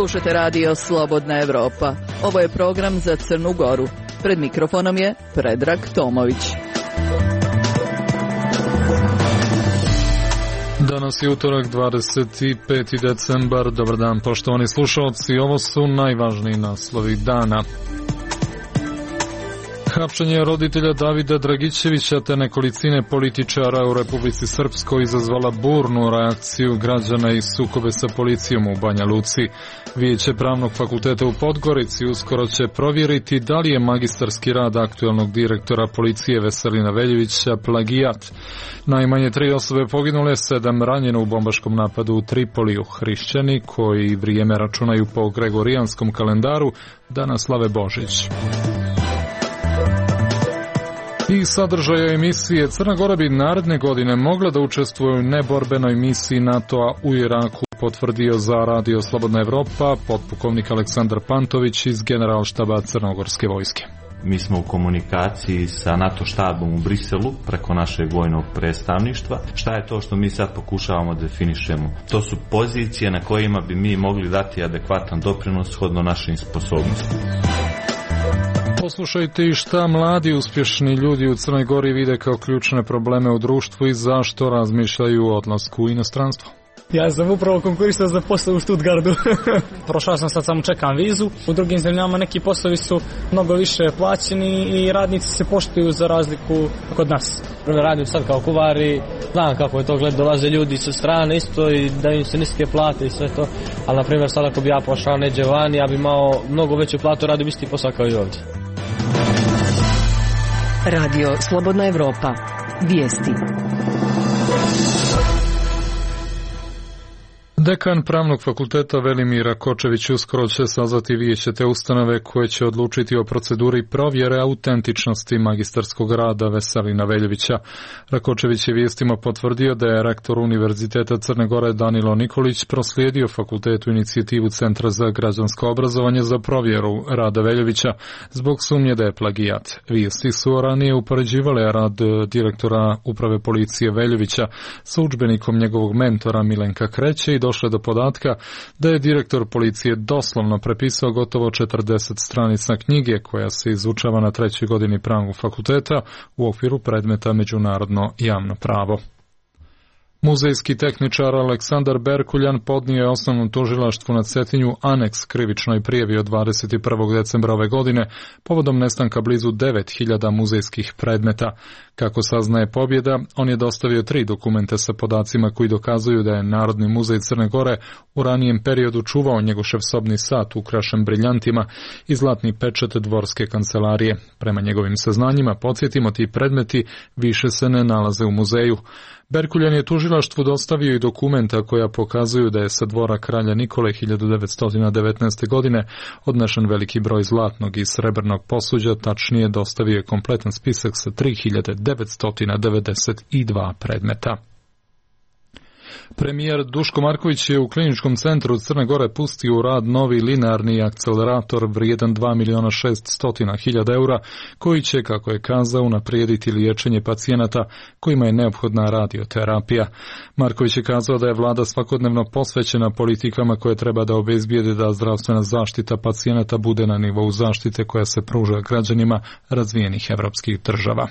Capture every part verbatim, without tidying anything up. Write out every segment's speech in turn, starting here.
Slušate radio Slobodna Evropa. Ovo je program za Crnu Goru. Pred mikrofonom je Predrag Tomović. Danas je utorak, dvadeset peti decembar. Dobar dan, poštovani slušalci. Ovo su najvažniji naslovi dana. Hapšenje roditelja Davida Dragićevića te nekolicine političara u Republici Srpskoj izazvala burnu reakciju građana i sukobe sa policijom u Banja Luci. Vijeće Pravnog fakulteta u Podgorici uskoro će provjeriti da li je magistarski rad aktuelnog direktora policije Veselina Veljevića plagijat. Najmanje tri osobe poginule, sedam ranjeno u bombaškom napadu u Tripoliju. Hrišćani, koji vrijeme računaju po gregorijanskom kalendaru, danas slave Božić. I sadržaja emisije. Crna Gora bi naredne godine mogla da učestvuje u neborbenoj misiji NATO-a u Iraku, potvrdio za radio Slobodna Evropa potpukovnik Aleksandar Pantović iz Generalštaba Crnogorske vojske. Mi smo u komunikaciji sa NATO štabom u Briselu preko našeg vojnog predstavništva. Šta je to što mi sad pokušavamo da definišemo? To su pozicije na kojima bi mi mogli dati adekvatan doprinos shodno našim sposobnostima. Poslušajte i šta mladi uspješni ljudi u Crnoj Gori vide kao ključne probleme u društvu i zašto razmišljaju o odlasku u inostranstvo. Ja sam upravo konkurisao za posao u Stuttgartu. Prošao sam, sad samo čekam vizu. U drugim zemljama neki poslovi su mnogo više plaćeni i radnici se poštuju za razliku kod nas. Radim sad kao kuvar i znam kako je to gled, dolaze ljudi sa strane isto i da im se niske plate i sve to. Ali na primjer sad ako bi ja pošao neđe van, ja bi imao mnogo veću platu, radim isti posao kao i ovdje. Radio Slobodna Evropa. Vijesti. Dekan Pravnog fakulteta Velimir Rakočević uskoro će sazvati vijeće te ustanove koje će odlučiti o proceduri provjere autentičnosti magistarskog rada Veselina Veljevića. Rakočević je vijestima potvrdio da je rektor Univerziteta Crne Gore Danilo Nikolić proslijedio fakultetu inicijativu Centra za građansko obrazovanje za provjeru rada Veljevića zbog sumnje da je plagijat. Vijesti su ranije upoređivale rad direktora uprave policije Veljevića sa udžbenikom njegovog mentora Milenka Kreće i došle do podatka da je direktor policije doslovno prepisao gotovo četrdeset stranica knjige koja se izučava na trećoj godini Pravnog fakulteta u okviru predmeta Međunarodno javno pravo. Muzejski tehničar Aleksandar Berkuljan podnio je osnovnom tužilaštvu na Cetinju aneks krivičnoj prijavi od dvadeset prvog decembra ove godine povodom nestanka blizu devet hiljada muzejskih predmeta. Kako saznaje Pobjeda, on je dostavio tri dokumenta sa podacima koji dokazuju da je Narodni muzej Crne Gore u ranijem periodu čuvao Njegošev sobni sat ukrašen briljantima i zlatni pečat dvorske kancelarije. Prema njegovim saznanjima, podsjetimo, ti predmeti više se ne nalaze u muzeju. Berkuljan je tužilaštvu dostavio i dokumenta koja pokazuju da je sa dvora kralja Nikole hiljadu devetsto devetnaeste. godine odnešen veliki broj zlatnog i srebrnog posuđa, tačnije dostavio je kompletan spisak sa tri hiljade devetsto devedeset dva predmeta. Premijer Duško Marković je u Kliničkom centru Crne Gore pustio u rad novi linearni akcelerator vrijedan dva miliona šeststo hiljada eura, koji će, kako je kazao, unaprijediti liječenje pacijenata kojima je neophodna radioterapija. Marković je kazao da je vlada svakodnevno posvećena politikama koje treba da obezbijede da zdravstvena zaštita pacijenata bude na nivou zaštite koja se pruža građanima razvijenih evropskih država.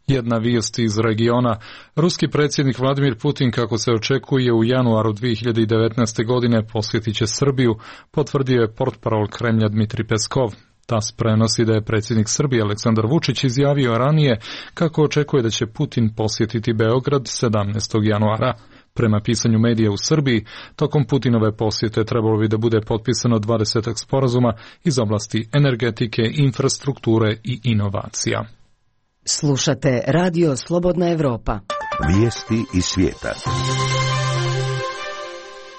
Jedna vijest iz regiona. Ruski predsjednik Vladimir Putin, kako se očekuje, u januaru dvije hiljade devetnaeste. godine posjetit će Srbiju, potvrdio je portparol Kremlja Dmitri Peskov. TAS prenosi da je predsjednik Srbije Aleksandar Vučić izjavio ranije kako očekuje da će Putin posjetiti Beograd sedamnaestog januara. Prema pisanju medija u Srbiji, tokom Putinove posjete trebalo bi da bude potpisano dvadeset sporazuma iz oblasti energetike, infrastrukture i inovacija. Slušate Radio Slobodna Evropa. Vijesti iz svijeta.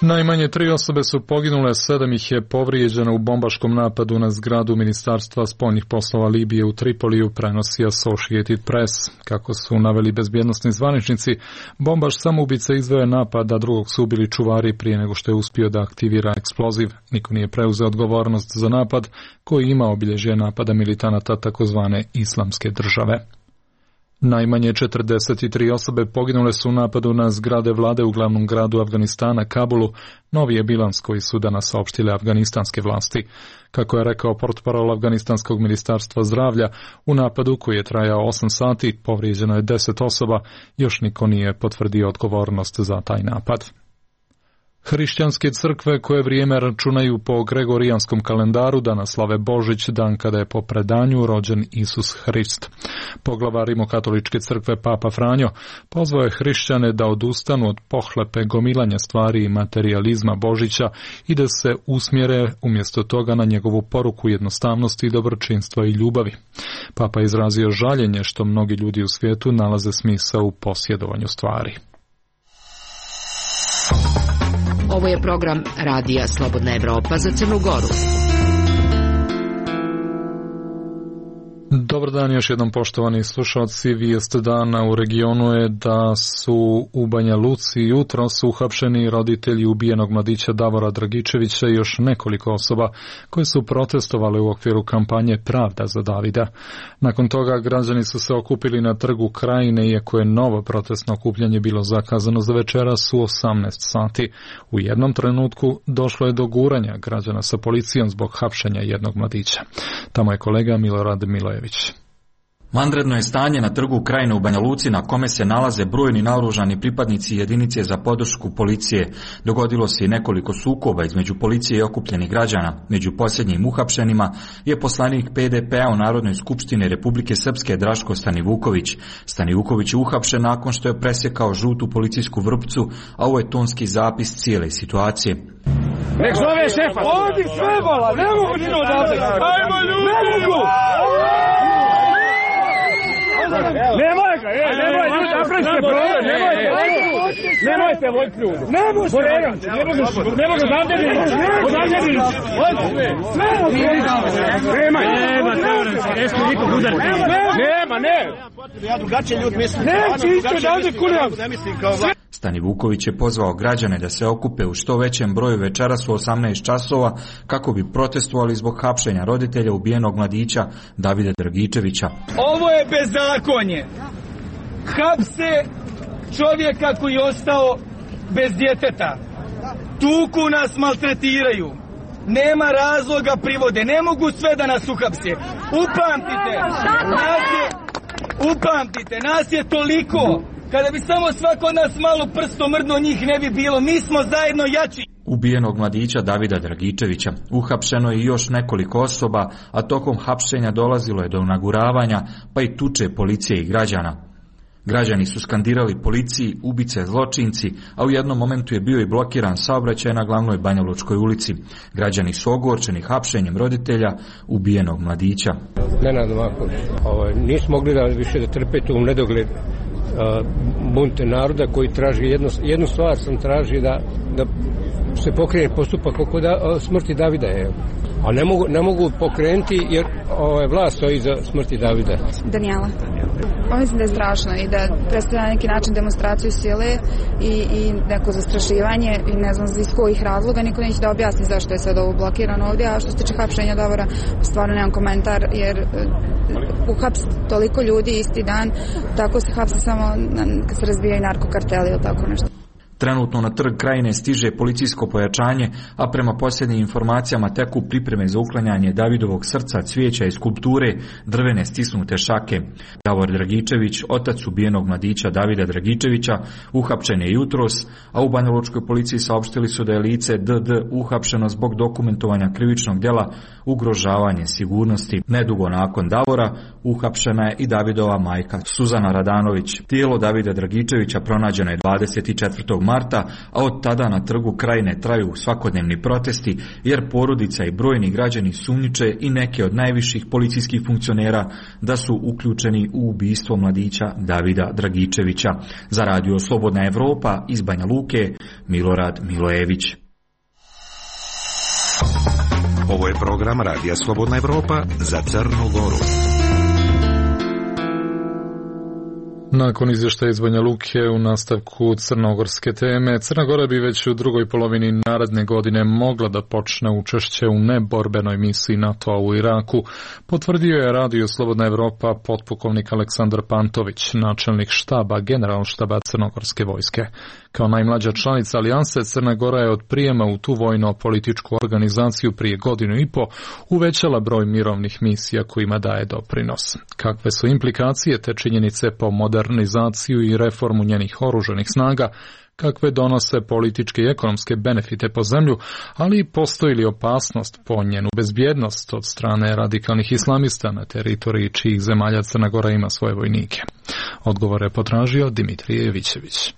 Najmanje tri osobe su poginule, sedam ih je povrijeđeno u bombaškom napadu na zgradu Ministarstva spoljnih poslova Libije u Tripoliju, prenosi Associated Press. Kako su naveli bezbjednosni zvaničnici, bombaš samoubica izveo je napad, a drugog su ubili čuvari prije nego što je uspio da aktivira eksploziv. Niko nije preuzeo odgovornost za napad koji ima obilježje napada militanata takozvane Islamske države. Najmanje četrdeset tri osobe poginule su u napadu na zgrade vlade u glavnom gradu Afganistana, Kabulu, novi je bilans koji su danas saopštile afganistanske vlasti. Kako je rekao portparol Afganistanskog ministarstva zdravlja, u napadu koji je trajao osam sati povrijeđeno je deset osoba, još niko nije potvrdio odgovornost za taj napad. Hrišćanske crkve koje vrijeme računaju po gregorijanskom kalendaru danas slave Božić, dan kada je po predanju rođen Isus Hrist. Poglavar Rimokatoličke crkve Papa Franjo pozvao je hrišćane da odustanu od pohlepe gomilanja stvari i materijalizma Božića i da se usmjere umjesto toga na njegovu poruku jednostavnosti, dobročinstva i ljubavi. Papa je izrazio žaljenje što mnogi ljudi u svijetu nalaze smisao u posjedovanju stvari. Ovo je program Radija Slobodna Evropa za Crnu Goru. Dobar dan još jednom, poštovani slušalci. Vijest dana u regionu je da su u Banja Luci jutros uhapšeni roditelji ubijenog mladića Davora Dragičevića i još nekoliko osoba koje su protestovali u okviru kampanje Pravda za Davida. Nakon toga građani su se okupili na Trgu Krajine, iako je novo protestno okupljanje bilo zakazano za večeras u osamnaest sati. U jednom trenutku došlo je do guranja građana sa policijom zbog hapšenja jednog mladića. Tamo je kolega Milorad Milojević. Vanredno je stanje na Trgu Krajine u Banja Luci, na kome se nalaze brojni naoružani pripadnici jedinice za podršku policije. Dogodilo se i nekoliko sukoba između policije i okupljenih građana. Među posljednjim uhapšenima je poslanik P D P-a u Narodnoj skupštini Republike Srpske Draško Stanivuković. Stanivuković je uhapšen nakon što je presjekao žutu policijsku vrpcu, a ovo je tonski zapis cijele situacije. Nek zove šefa! Odi šefala! Ne mogu ti odavde! Ajmo ljudi! Ne mogu! Nemoj ga, ej, nemoj, ljudi, napravite problem, nemojte, nemojte vojt ljudi. Ne može, ne može, ne može, odavde mi, odavde mi, sve može, nemaj, nema, nesko nikog udariti, nema, ne, ja drugačije ljudi mislim, neće isto odavde kulijam. Stanivuković je pozvao građane da se okupe u što većem broju večeras u osamnaest časova kako bi protestovali zbog hapšenja roditelja ubijenog mladića Davida Dragičevića. Ovo je bezakonje. Hapse čovjeka koji je ostao bez djeteta. Tuku nas, maltretiraju. Nema razloga privode. Ne mogu sve da nas uhapse. Upamtite. Nas je, upamtite. Nas je toliko. Kada bi samo svako od nas malo prstom mrdno, njih ne bi bilo. Mi smo zajedno jači. Ubijenog mladića Davida Dragičevića uhapšeno je još nekoliko osoba, a tokom hapšenja dolazilo je do naguravanja, pa i tuče policije i građana. Građani su skandirali policiji, ubice, zločinci, a u jednom momentu je bio i blokiran saobraćaj na glavnoj Banjalučkoj ulici. Građani su ogorčeni hapšenjem roditelja ubijenog mladića. Nenad Novaković, ovaj, nismo mogli da više da trpe tu nedogled uh, bunte naroda koji traži jednu, jednu stvar sam traži da, da se pokrene postupak oko da, smrti Davida. Je. A ne mogu, ne mogu pokrenuti jer ovaj, vlast stoji za smrti Davida. Danijela. Pa mislim da je strašno i da predstavlja na neki način demonstraciju sile i, i neko zastrašivanje i ne znam iz kojih razloga, niko neće da objasni zašto je sad ovo blokirano ovdje, a što se tiče hapšenja Davora, stvarno nemam komentar jer uhaps toliko ljudi isti dan, tako se hapse samo kad se razbijaju narkokarteli ili tako nešto. Trenutno na Trg Krajine stiže policijsko pojačanje, a prema posljednjim informacijama teku pripreme za uklanjanje Davidovog srca, cvijeća i skulpture, drvene stisnute šake. Davor Dragičević, otac ubijenog mladića Davida Dragičevića, uhapšen je jutros, a u Banjalučkoj policiji saopštili su da je lice D D uhapšeno zbog dokumentovanja krivičnog djela ugrožavanje sigurnosti. Nedugo nakon Davora uhapšena je i Davidova majka Suzana Radanović. Tijelo Davida Dragičevića pronađeno je dvadeset četvrtog marta, a od tada na Trgu Krajine traju svakodnevni protesti, jer porodica i brojni građani sumnjiče i neke od najviših policijskih funkcionera da su uključeni u ubistvo mladića Davida Dragičevića. Za Radio Slobodna Evropa iz Banja Luke, Milorad Milojević. Ovo je program Radija Slobodna Evropa za Crnu Goru. Nakon izvještaja iz Banja Luke u nastavku crnogorske teme, Crna Gora bi već u drugoj polovini naredne godine mogla da počne učešće u neborbenoj misiji NATO-a u Iraku, potvrdio je Radio Slobodna Evropa potpukovnik Aleksandar Pantović, načelnik štaba generalštaba crnogorske vojske. Kao najmlađa članica alijanse, Crna Gora je od prijema u tu vojno-političku organizaciju prije godinu i po uvećala broj mirovnih misija kojima daje doprinos. Kakve su implikacije te činjenice po modernizaciju i reformu njenih oružanih snaga, kakve donose političke i ekonomske benefite po zemlju, ali postoji li opasnost po njenu bezbjednost od strane radikalnih islamista na teritoriji čijih zemalja Crna Gora ima svoje vojnike? Odgovor je potražio Dimitrije Jevićević.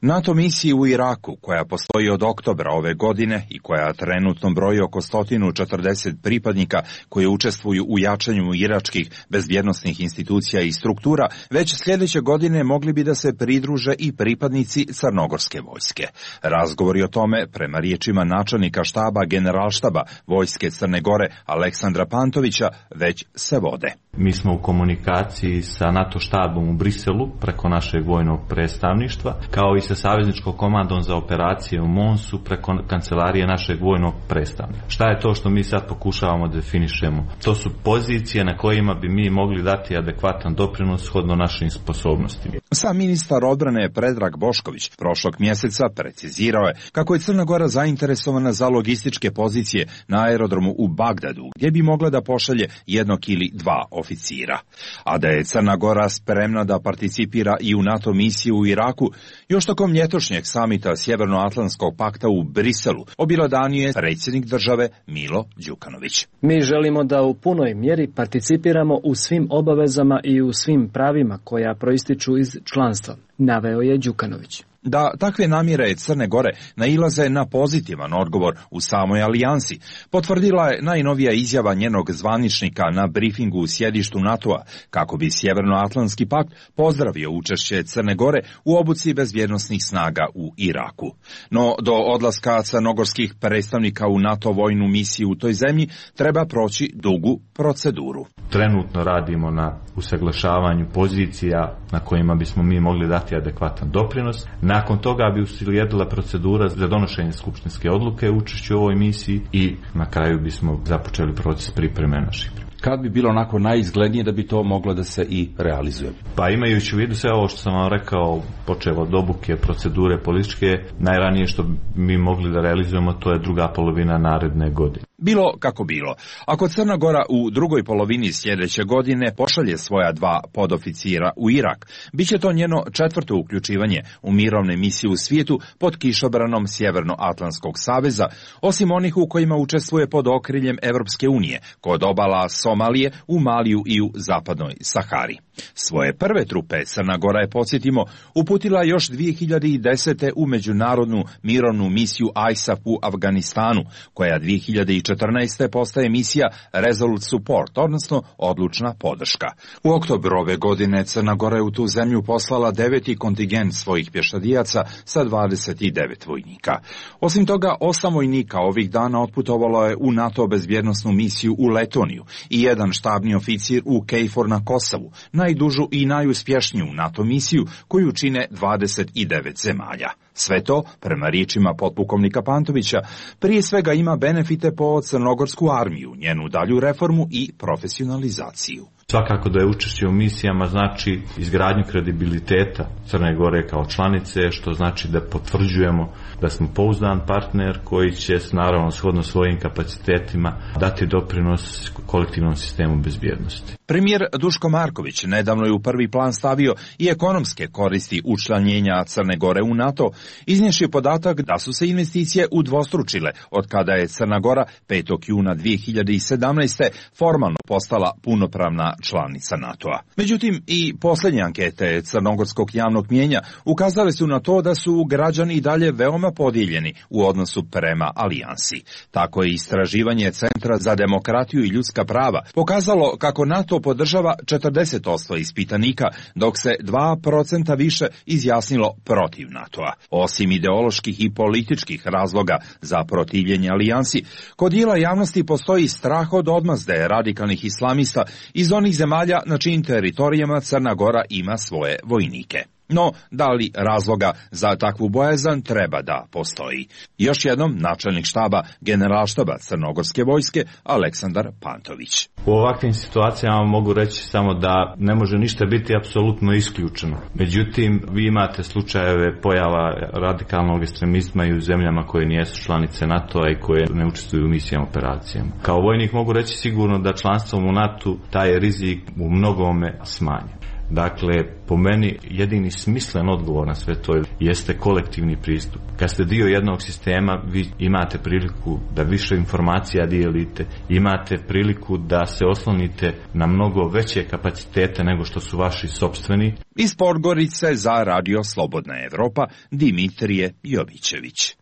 NATO misiji u Iraku, koja postoji od oktobra ove godine i koja trenutno broji oko sto četrdeset pripadnika koji učestvuju u jačanju iračkih bezbjednosnih institucija i struktura, već sljedeće godine mogli bi da se pridruže i pripadnici crnogorske vojske. Razgovori o tome, prema riječima načelnika štaba generalštaba vojske Crne Gore Aleksandra Pantovića, već se vode. Mi smo u komunikaciji sa NATO štabom u Briselu preko našeg vojnog predstavništva, kao i sa savezničkom komandom za operacije u Monsu preko kancelarije našeg vojnog predstavnika. Šta je to što mi sad pokušavamo da definišemo? To su pozicije na kojima bi mi mogli dati adekvatan doprinos shodno našim sposobnostima. Sam ministar odbrane Predrag Bošković prošlog mjeseca precizirao je kako je Crna Gora zainteresovana za logističke pozicije na aerodromu u Bagdadu, gdje bi mogla da pošalje jednog ili dva oficira. A da je Crna Gora spremna da participira i u NATO misiju u Iraku, još tokom ljetošnjeg samita Sjevernoatlantskog pakta u Briselu obilodanio je predsjednik države Milo Đukanović. Mi želimo da u punoj mjeri participiramo u svim obavezama i u svim pravima koja proističu iz članstva, naveo je Đukanović. Da takve namjere Crne Gore nailaze na pozitivan odgovor u samoj alijansi, potvrdila je najnovija izjava njenog zvaničnika na brifingu u sjedištu NATO-a, kako bi Sjevernoatlantski pakt pozdravio učešće Crne Gore u obuci bezbjednosnih snaga u Iraku. No do odlaska crnogorskih predstavnika u NATO vojnu misiju u toj zemlji treba proći dugu proceduru. Trenutno radimo na usaglašavanju pozicija na kojima bismo mi mogli dati adekvatan doprinos. Nakon toga bi uslijedila procedura za donošenje skupštinske odluke u učešću u ovoj misiji i na kraju bismo započeli proces pripreme naših priprema. Kad bi bilo onako najizglednije da bi to moglo da se i realizuje? Pa imajući u vidu sve ovo što sam vam rekao, počevo od obuke, procedure političke, najranije što mi mogli da realizujemo to je druga polovina naredne godine. Bilo kako bilo, ako Crna Gora u drugoj polovini sljedeće godine pošalje svoja dva podoficira u Irak, bit će to njeno četvrto uključivanje u mirovne misije u svijetu pod kišobranom Sjevernoatlantskog saveza, osim onih u kojima učestvuje pod okriljem Evropske unije, kod obala Somalije, u Maliju i u zapadnoj Sahari. Svoje prve trupe Crna Gora je, podsjetimo, uputila još dvije hiljade desete. u međunarodnu mirovnu misiju I S A F u Afganistanu, koja dvije hiljade četrnaeste. postaje misija Resolute Support, odnosno odlučna podrška. U oktobru ove godine Crna Gora je u tu zemlju poslala deveti kontingent svojih pješadijaca sa dvadeset devet vojnika. Osim toga, osam vojnika ovih dana otputovalo je u NATO bezbjednosnu misiju u Letoniju i jedan štabni oficir u KFOR na Kosovu, najdužu i najuspješniju NATO misiju koju čine dvadeset devet zemalja. Sve to, prema riječima potpukovnika Pantovića, prije svega ima benefite po crnogorsku armiju, njenu dalju reformu i profesionalizaciju. Svakako da je učešće u misijama znači izgradnju kredibiliteta Crne Gore kao članice, što znači da potvrđujemo da smo pouzdan partner koji će naravno shodno svojim kapacitetima dati doprinos kolektivnom sistemu bezbjednosti. Premijer Duško Marković nedavno je u prvi plan stavio i ekonomske koristi učlanjenja Crne Gore u NATO, iznijevši podatak da su se investicije udvostručile od kada je Crna Gora petog juna dvije hiljade sedamnaeste. formalno postala punopravna članica NATO-a. Međutim, i posljednje ankete crnogorskog javnog mnijenja ukazale su na to da su građani i dalje veoma podijeljeni u odnosu prema alijansi. Tako je istraživanje Centra za demokratiju i ljudska prava pokazalo kako NATO podržava četrdeset posto ispitanika, dok se dva procenta više izjasnilo protiv NATO-a. Osim ideoloških i političkih razloga za protivljenje alijansi, kod dijela javnosti postoji strah od odmazde radikalnih islamista iz onih onih zemalja na čijim teritorijama Crna Gora ima svoje vojnike. No, da li razloga za takvu bojazan treba da postoji? Još jednom, načelnik štaba Generalštaba Crnogorske vojske Aleksandar Pantović. U ovakvim situacijama mogu reći samo da ne može ništa biti apsolutno isključeno. Međutim, vi imate slučajeve pojava radikalnog ekstremizma i u zemljama koje nijesu članice NATO-a i koje ne učestvuju u misijama, operacijama. Kao vojnik mogu reći sigurno da članstvom u NATO taj rizik u mnogome smanjen. Dakle, po meni jedini smislen odgovor na sve to jeste kolektivni pristup. Kad ste dio jednog sistema, vi imate priliku da više informacija dijelite, imate priliku da se oslonite na mnogo veće kapacitete nego što su vaši sopstveni. Iz Podgorice za Radio Slobodna Evropa, Dimitrije Jovićević.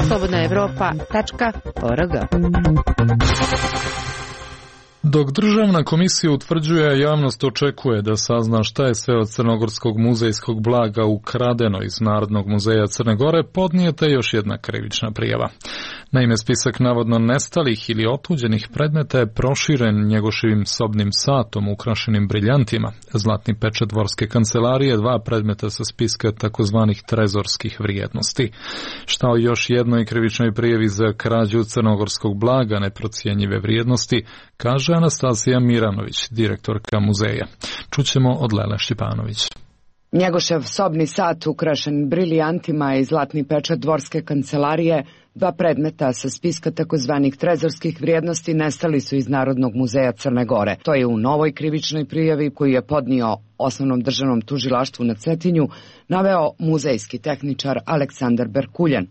slobodna evropa tačka org. Dok državna komisija utvrđuje, javnost očekuje da sazna šta je sve od crnogorskog muzejskog blaga ukradeno iz Narodnog muzeja Crne Gore, podnijeta je još jedna krivična prijava. Naime, spisak navodno nestalih ili otuđenih predmeta je proširen Njegoševim sobnim satom ukrašenim briljantima, zlatni pečat dvorske kancelarije, dva predmeta sa spiska takozvanih trezorskih vrijednosti. Šta o još jednoj krivičnoj prijavi za krađu crnogorskog blaga neprocijenjive vrijednosti, kaže Anastasija Miranović, direktorka muzeja. Čućemo od Lele Štipanović. Njegošev sobni sat ukrašen briljantima i zlatni pečat dvorske kancelarije, dva predmeta sa spiska takozvanih trezorskih vrijednosti nestali su iz Narodnog muzeja Crne Gore. To je u novoj krivičnoj prijavi koju je podnio Osnovnom državnom tužilaštvu na Cetinju naveo muzejski tehničar Aleksandar Berkuljan.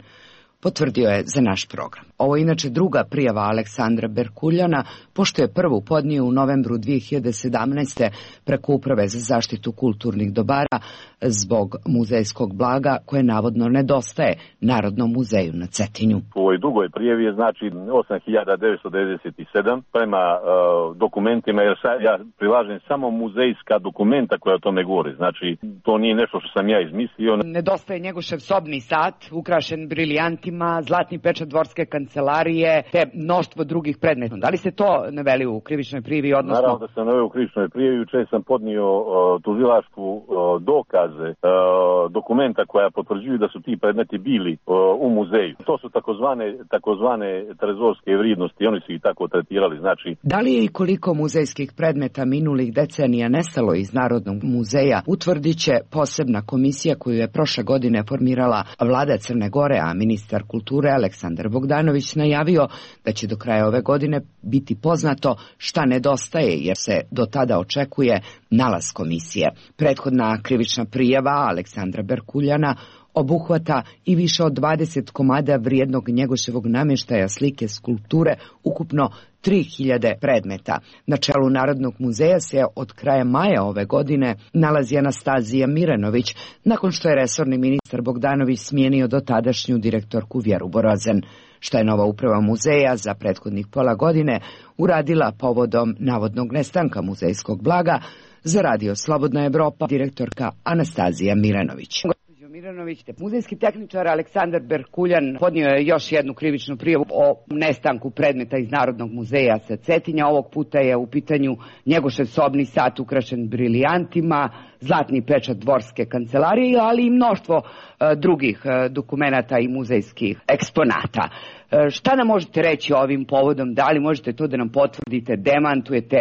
Potvrdio je za naš program. Ovo je inače druga prijava Aleksandra Berkuljana, pošto je prvu podnio u novembru dvije hiljade sedamnaeste preko Uprave za zaštitu kulturnih dobara zbog muzejskog blaga koje navodno nedostaje Narodnom muzeju na Cetinju. U ovoj drugoj prijavi je znači osam hiljada devetsto devedeset sedam prema uh, dokumentima, jer sad ja prilažem samo muzejska dokumenta koja o tome govori. Znači, to nije nešto što sam ja izmislio. Nedostaje Njegošev sobni sat, ukrašen briljantima, zlatni pečat dvorske kancelarije, te mnoštvo drugih predmeta. Da li se to naveli u krivičnoj prijavi, odnosno? Naravno da sam naveo u krivičnoj prijavi. Juče sam podnio uh, tužilaštvu uh, dokaze uh, dokumenta koja potvrđuju da su ti predmeti bili uh, u muzeju. To su takozvane, takozvane trezorske vrijednosti, oni su ih tako tretirali. Znači, da li je i koliko muzejskih predmeta minulih decenija nestalo iz Narodnog muzeja, utvrdit će posebna komisija koju je prošle godine formirala vlada Crne Gore, a ministar kulture Aleksandar Bogdanović najavio da će do kraja ove godine biti poznato šta nedostaje, jer se do tada očekuje nalaz komisije. Prethodna krivična prijava Aleksandra Berkuljana obuhvata i više od dvadeset komada vrijednog Njegoševog namještaja, slike, skulpture, ukupno tri hiljade predmeta. Na čelu Narodnog muzeja se od kraja maja ove godine nalazi Anastazija Miranović, nakon što je resorni ministar Bogdanović smijenio dotadašnju direktorku Vjeru Borozen. Šta je nova uprava muzeja za prethodnih pola godine uradila povodom navodnog nestanka muzejskog blaga, za Radio Slobodna Evropa direktorka Anastazija Miranović. Miranović, muzejski tehničar Aleksandar Berkuljan podnio je još jednu krivičnu prijavu o nestanku predmeta iz Narodnog muzeja sa Cetinja. Ovog puta je u pitanju Njegošev sobni sat ukrašen briljantima, zlatni pečat dvorske kancelarije, ali i mnoštvo e, drugih e, dokumenata i muzejskih eksponata. E, šta nam možete reći ovim povodom? Da li možete to da nam potvrdite, demantujete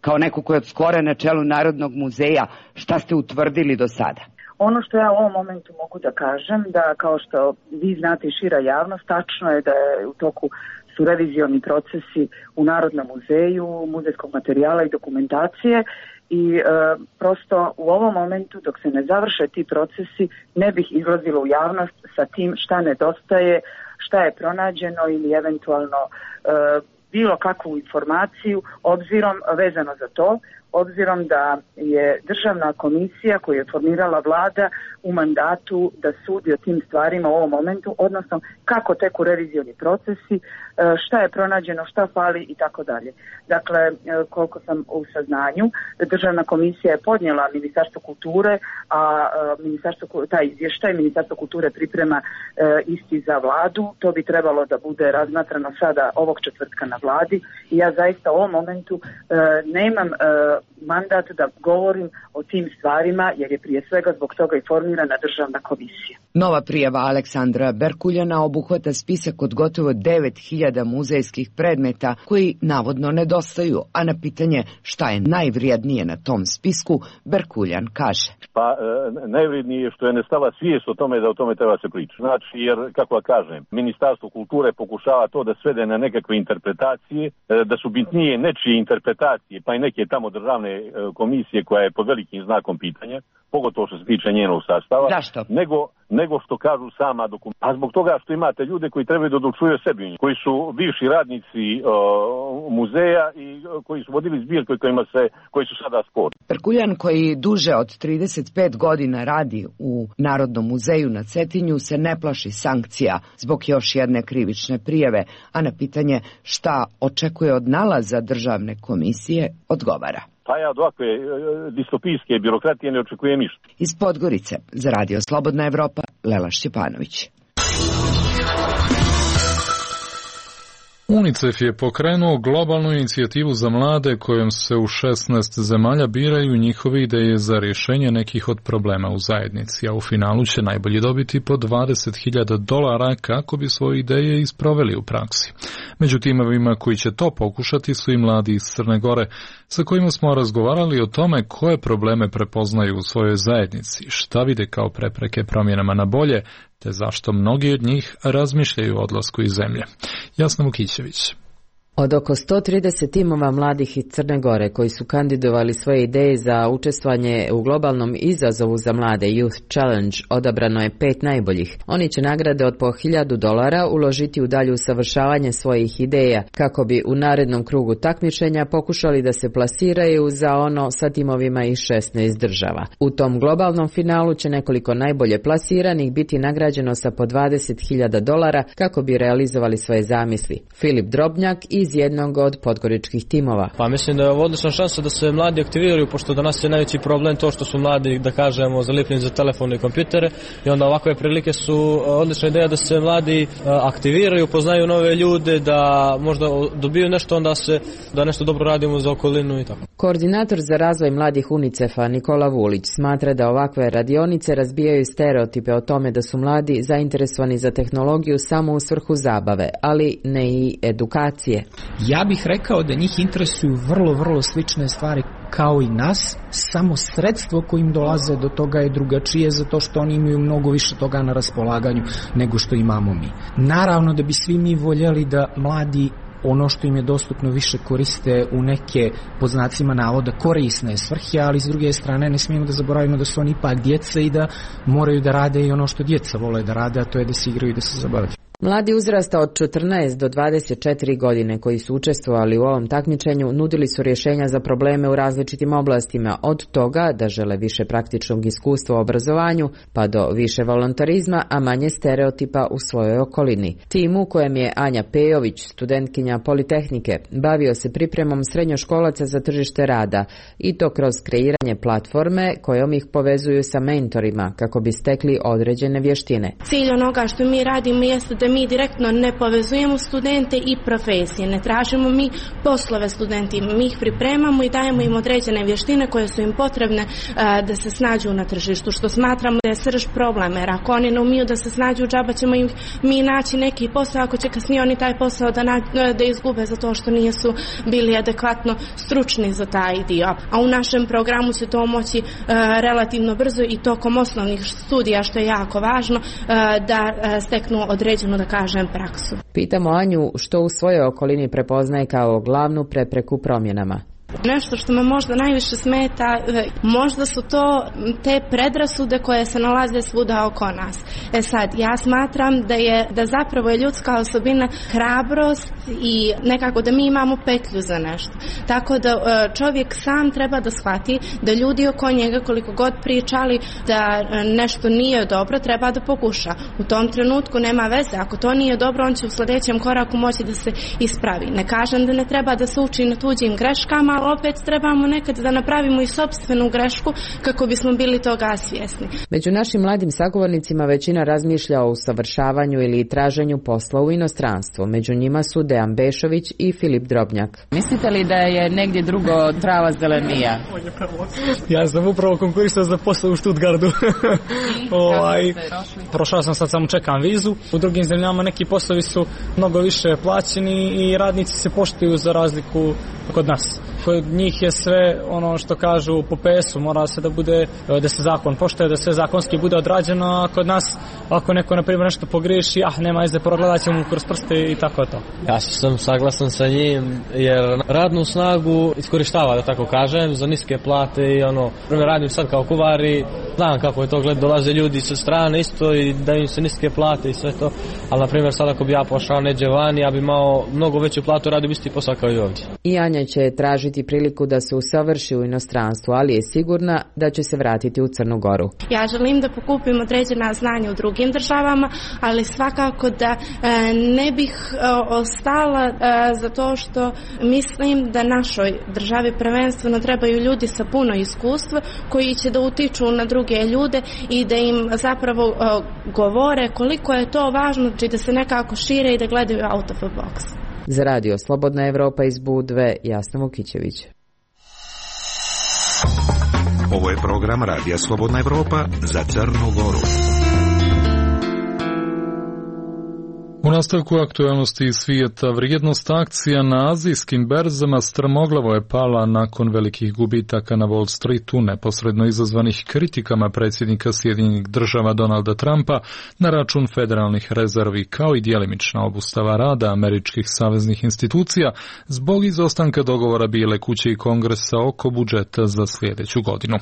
kao neko ko je od skora na čelu Narodnog muzeja? Šta ste utvrdili do sada? Ono što ja u ovom momentu mogu da kažem, da kao što vi znate i šira javnost, tačno je da je u toku su revizioni procesi u Narodnom muzeju, muzejskog materijala i dokumentacije i e, prosto u ovom momentu dok se ne završe ti procesi ne bih izlazila u javnost sa tim šta nedostaje, šta je pronađeno ili eventualno e, bilo kakvu informaciju obzirom vezano za to. obzirom da je državna komisija koju je formirala vlada u mandatu da sudi o tim stvarima u ovom momentu, odnosno kako teku revizioni procesi, šta je pronađeno, šta fali i tako dalje. Dakle, koliko sam u saznanju, državna komisija je podnijela Ministarstvo kulture, a ministarstvo, taj izvještaj Ministarstvo kulture priprema isti za vladu. To bi trebalo da bude razmatrano sada ovog četvrtka na vladi i ja zaista u ovom momentu nemam mandat da govorim o tim stvarima jer je prije svega zbog toga i formirana državna komisija. Nova prijava Aleksandra Berkuljana obuhvata spisak od gotovo devet hiljada muzejskih predmeta koji navodno nedostaju, a na pitanje šta je najvrijednije na tom spisku, Berkuljan kaže. Pa e, najvrijednije je što je nestala svijest o tome da o tome treba se pričati. Znači, jer, kako da kažem, Ministarstvo kulture pokušava to da svede na nekakve interpretacije, e, da su bitnije nečije interpretacije, pa i neke tamo državne e, komisije koja je pod velikim znakom pitanja, pogotovo što se tiče njenog sastava. Zašto? Nego, nego što kažu sama dokumenta. A zbog toga što imate ljude koji trebaju da odlučuju o sebi, koji su bivši radnici uh, muzeja i uh, koji su vodili zbirke kojima se, koji su sada sporni. Berkuljan, koji duže od trideset pet godina radi u Narodnom muzeju na Cetinju, se ne plaši sankcija zbog još jedne krivične prijave, a na pitanje šta očekuje od nalaza državne komisije odgovara. Pa ja od ovakve e, distopijske birokratije ne očekujem ništa. Iz Podgorice za Radio Slobodna Evropa, Lela Šćepanović. UNICEF je pokrenuo globalnu inicijativu za mlade kojom se u šesnaest zemalja biraju njihove ideje za rješenje nekih od problema u zajednici, a u finalu će najbolji dobiti po dvadeset hiljada dolara kako bi svoje ideje isproveli u praksi. Među timovima koji će to pokušati su i mladi iz Crne Gore, sa kojima smo razgovarali o tome koje probleme prepoznaju u svojoj zajednici, šta vide kao prepreke promjenama na bolje, te zašto mnogi od njih razmišljaju o odlasku iz zemlje. Jasna Vukićević. Od oko sto trideset timova mladih iz Crne Gore koji su kandidovali svoje ideje za učestvovanje u globalnom izazovu za mlade Youth Challenge, odabrano je pet najboljih. Oni će nagrade od po hiljadu dolara uložiti u dalje usavršavanje svojih ideja kako bi u narednom krugu takmičenja pokušali da se plasiraju za ono sa timovima iz šesnaest država. U tom globalnom finalu će nekoliko najbolje plasiranih biti nagrađeno sa po dvadeset hiljada dolara kako bi realizovali svoje zamisli. Filip Drobnjak i iz jednog od podgoričkih timova. Pa mislim da je ovo odlična šansa da se mladi aktiviraju, pošto danas je najveći problem to što su mladi, da kažemo, zalipljeni za telefone i kompjutere, i onda ovakve prilike su odlična ideja da se mladi aktiviraju, poznaju nove ljude, da možda dobiju nešto, onda se, da nešto dobro radimo za okolinu i tako. Koordinator za razvoj mladih UNICEF-a Nikola Vulić smatra da ovakve radionice razbijaju stereotipe o tome da su mladi zainteresovani za tehnologiju samo u svrhu zabave, ali ne i edukacije. Ja bih rekao da njih interesuju vrlo, vrlo slične stvari kao i nas, samo sredstvo kojim dolaze do toga je drugačije zato što oni imaju mnogo više toga na raspolaganju nego što imamo mi. Naravno da bi svi mi voljeli da mladi ono što im je dostupno više koriste u neke, pod znacima navoda, korisne svrhe, ali s druge strane ne smijemo da zaboravimo da su oni ipak djeca i da moraju da rade i ono što djeca vole da rade, a to je da se igraju i da se zabavljaju. Mladi uzrasta od četrnaest do dvadeset četiri godine koji su učestvovali u ovom takmičenju nudili su rješenja za probleme u različitim oblastima, od toga da žele više praktičnog iskustva u obrazovanju, pa do više volontarizma, a manje stereotipa u svojoj okolini. Tim u kojem je Anja Pejović, studentkinja Politehnike, bavio se pripremom srednjoškolaca za tržište rada i to kroz kreiranje platforme kojom ih povezuju sa mentorima kako bi stekli određene vještine. Cilj onoga što mi radimo jeste da mi direktno ne povezujemo studente i profesije, ne tražimo mi poslove studentima, mi ih pripremamo i dajemo im određene vještine koje su im potrebne a, da se snađu na tržištu, što smatramo da je srž problema, jer ako oni ne umiju da se snađu, džaba ćemo im mi naći neki posao, ako će kasnije oni taj posao da, na, da izgube zato što nisu bili adekvatno stručni za taj dio. A u našem programu će to moći a, relativno brzo i tokom osnovnih studija, što je jako važno, a, da a, steknu određenu, da kažem, praksu. Pitamo Anju što u svojoj okolini prepoznaje kao glavnu prepreku promjenama. Nešto što me možda najviše smeta, možda su to te predrasude koje se nalaze svuda oko nas. E sad, ja smatram da je da zapravo je ljudska osobina hrabrost i nekako da mi imamo petlju za nešto. Tako da čovjek sam treba da shvati da ljudi oko njega koliko god pričali da nešto nije dobro, treba da pokuša. U tom trenutku nema veze. Ako to nije dobro, on će u sljedećem koraku moći da se ispravi. Ne kažem da ne treba da se uči na tuđim greškama, ali opet trebamo nekad da napravimo i sopstvenu grešku kako bismo bili toga svjesni. Među našim mladim sagovornicima većina razmišlja o usavršavanju ili traženju posla u inostranstvu. Među njima su Dejan Bešović i Filip Drobnjak. Mislite li da je negdje drugo trava zelenija? Ja sam upravo konkurisao za posao u Stuttgartu. ovaj, prošao sam, sad samo čekam vizu. U drugim zemljama neki poslovi su mnogo više plaćeni i radnici se poštuju za razliku kod nas. Kod njih je sve ono što kažu po P S-u, mora se da bude, da se zakon poštuje, da sve zakonski bude odrađeno, a kod nas ako neko na primjer nešto pogriješi, ah nema veze, progledat ćemo mu kroz prste i tako to. Ja sam saglasan sa njim jer radnu snagu iskorištava, da tako kažem, za niske plate i ono, primjer radim sad kao kuvar i znam kako je to gled, dolaze ljudi sa strane isto i daju im se niske plate i sve to, ali na primjer sad ako bi ja pošao neđe van, ja bi imao mnogo veću platu, radio bi isti posao kao i ovdje. I Anja će tražiti priliku da se usavrši u inostranstvu, ali je sigurna da će se vratiti u Crnu Goru. Ja želim da pokupim određena znanja u drugim državama, ali svakako da e, ne bih e, ostala e, zato što mislim da našoj državi prvenstveno trebaju ljudi sa puno iskustva koji će da utiču na druge ljude i da im zapravo e, govore koliko je to važno, či da se nekako šire i da gledaju out of the box. Za radio Slobodna Evropa iz Budve, Jasna Vukićević. Ovo je program Radija Slobodna Evropa za Crnu Goru. U nastavku aktualnosti iz svijeta, vrijednost akcija na azijskim berzama strmoglavo je pala nakon velikih gubitaka na Wall Streetu, neposredno izazvanih kritikama predsjednika Sjedinjenih Država Donalda Trumpa na račun federalnih rezervi, kao i djelimična obustava rada američkih saveznih institucija zbog izostanka dogovora Bijele kuće i Kongresa oko budžeta za sljedeću godinu.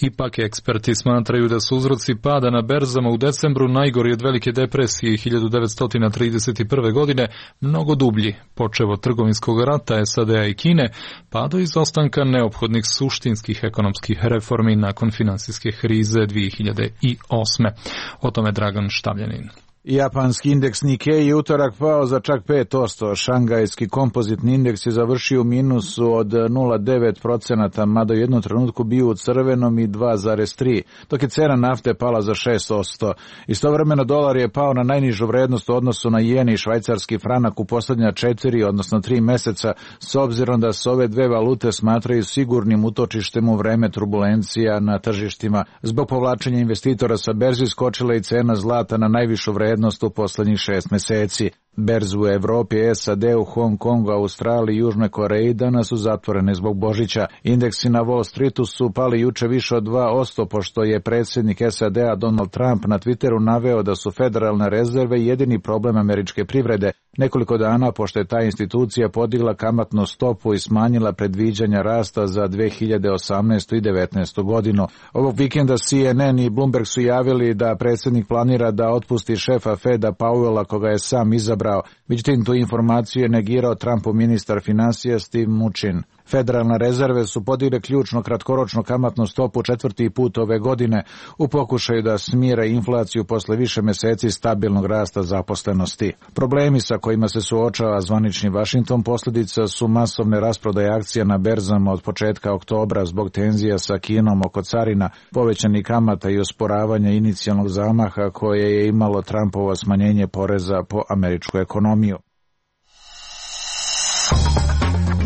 Ipak eksperti smatraju da su uzroci pada na berzama u decembru najgori od velike depresije hiljadu devetsto trideset prve. godine mnogo dublji, počev od trgovinskog rata S A D-a i Kine, pa do izostanka neophodnih suštinskih ekonomskih reformi nakon finansijske krize dvije hiljade osme. O tome Dragan Štavljanin. Japanski indeks Nikkei je utorak pao za čak pet posto. Šangajski kompozitni indeks je završio u minusu od nula zarez devet posto, mada u jednom trenutku bio u crvenom i dva zarez tri, dok je cena nafte pala za šest posto. Istovremeno dolar je pao na najnižu vrednost u odnosu na jen i švajcarski franak u posljednja četiri, odnosno tri meseca, s obzirom da se ove dve valute smatraju sigurnim utočištem u vreme turbulencija na tržištima. Zbog povlačenja investitora sa berzi skočila i cena zlata na najvišu vrednost u posljednjih šest meseci. Berze u Evropi, S A D, u Hong Kongu, Australiji i Južnoj Koreji danas su zatvorene zbog Božića. Indeksi na Wall Streetu su pali juče više od dva posto, pošto je predsjednik S A D-a Donald Trump na Twitteru naveo da su federalne rezerve jedini problem američke privrede, nekoliko dana pošto je ta institucija podigla kamatnu stopu i smanjila predviđanja rasta za dve hiljade osamnaestu i devetnaestu. godinu. Ovog vikenda C N N i Bloomberg su javili da predsjednik planira da otpusti šefa Feda Powella, koga je sam izabrao. Međutim, tu informaciju je negirao Trumpov ministar financija Steve Mnuchin. Federalne rezerve su podigle ključno kratkoročnu kamatnu stopu četvrti put ove godine u pokušaju da smire inflaciju posle više meseci stabilnog rasta zaposlenosti. Problemi sa kojima se suočava zvanični Washington posljedica su masovne rasprodaje akcija na berzama od početka oktobra zbog tenzija sa Kinom oko carina, povećanih kamata i osporavanja inicijalnog zamaha koje je imalo Trumpovo smanjenje poreza po američku ekonomiju.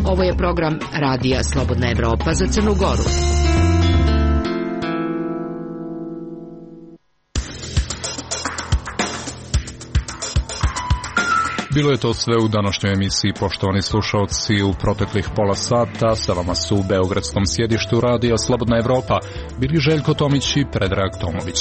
Ovo je program Radija Slobodna Evropa za Crnu Goru. Bilo je to sve u današnjoj emisiji, poštovani slušalci. U proteklih pola sata sa vama su u beogradskom sjedištu Radija Slobodna Evropa bili Željko Tomić i Predrag Tomović.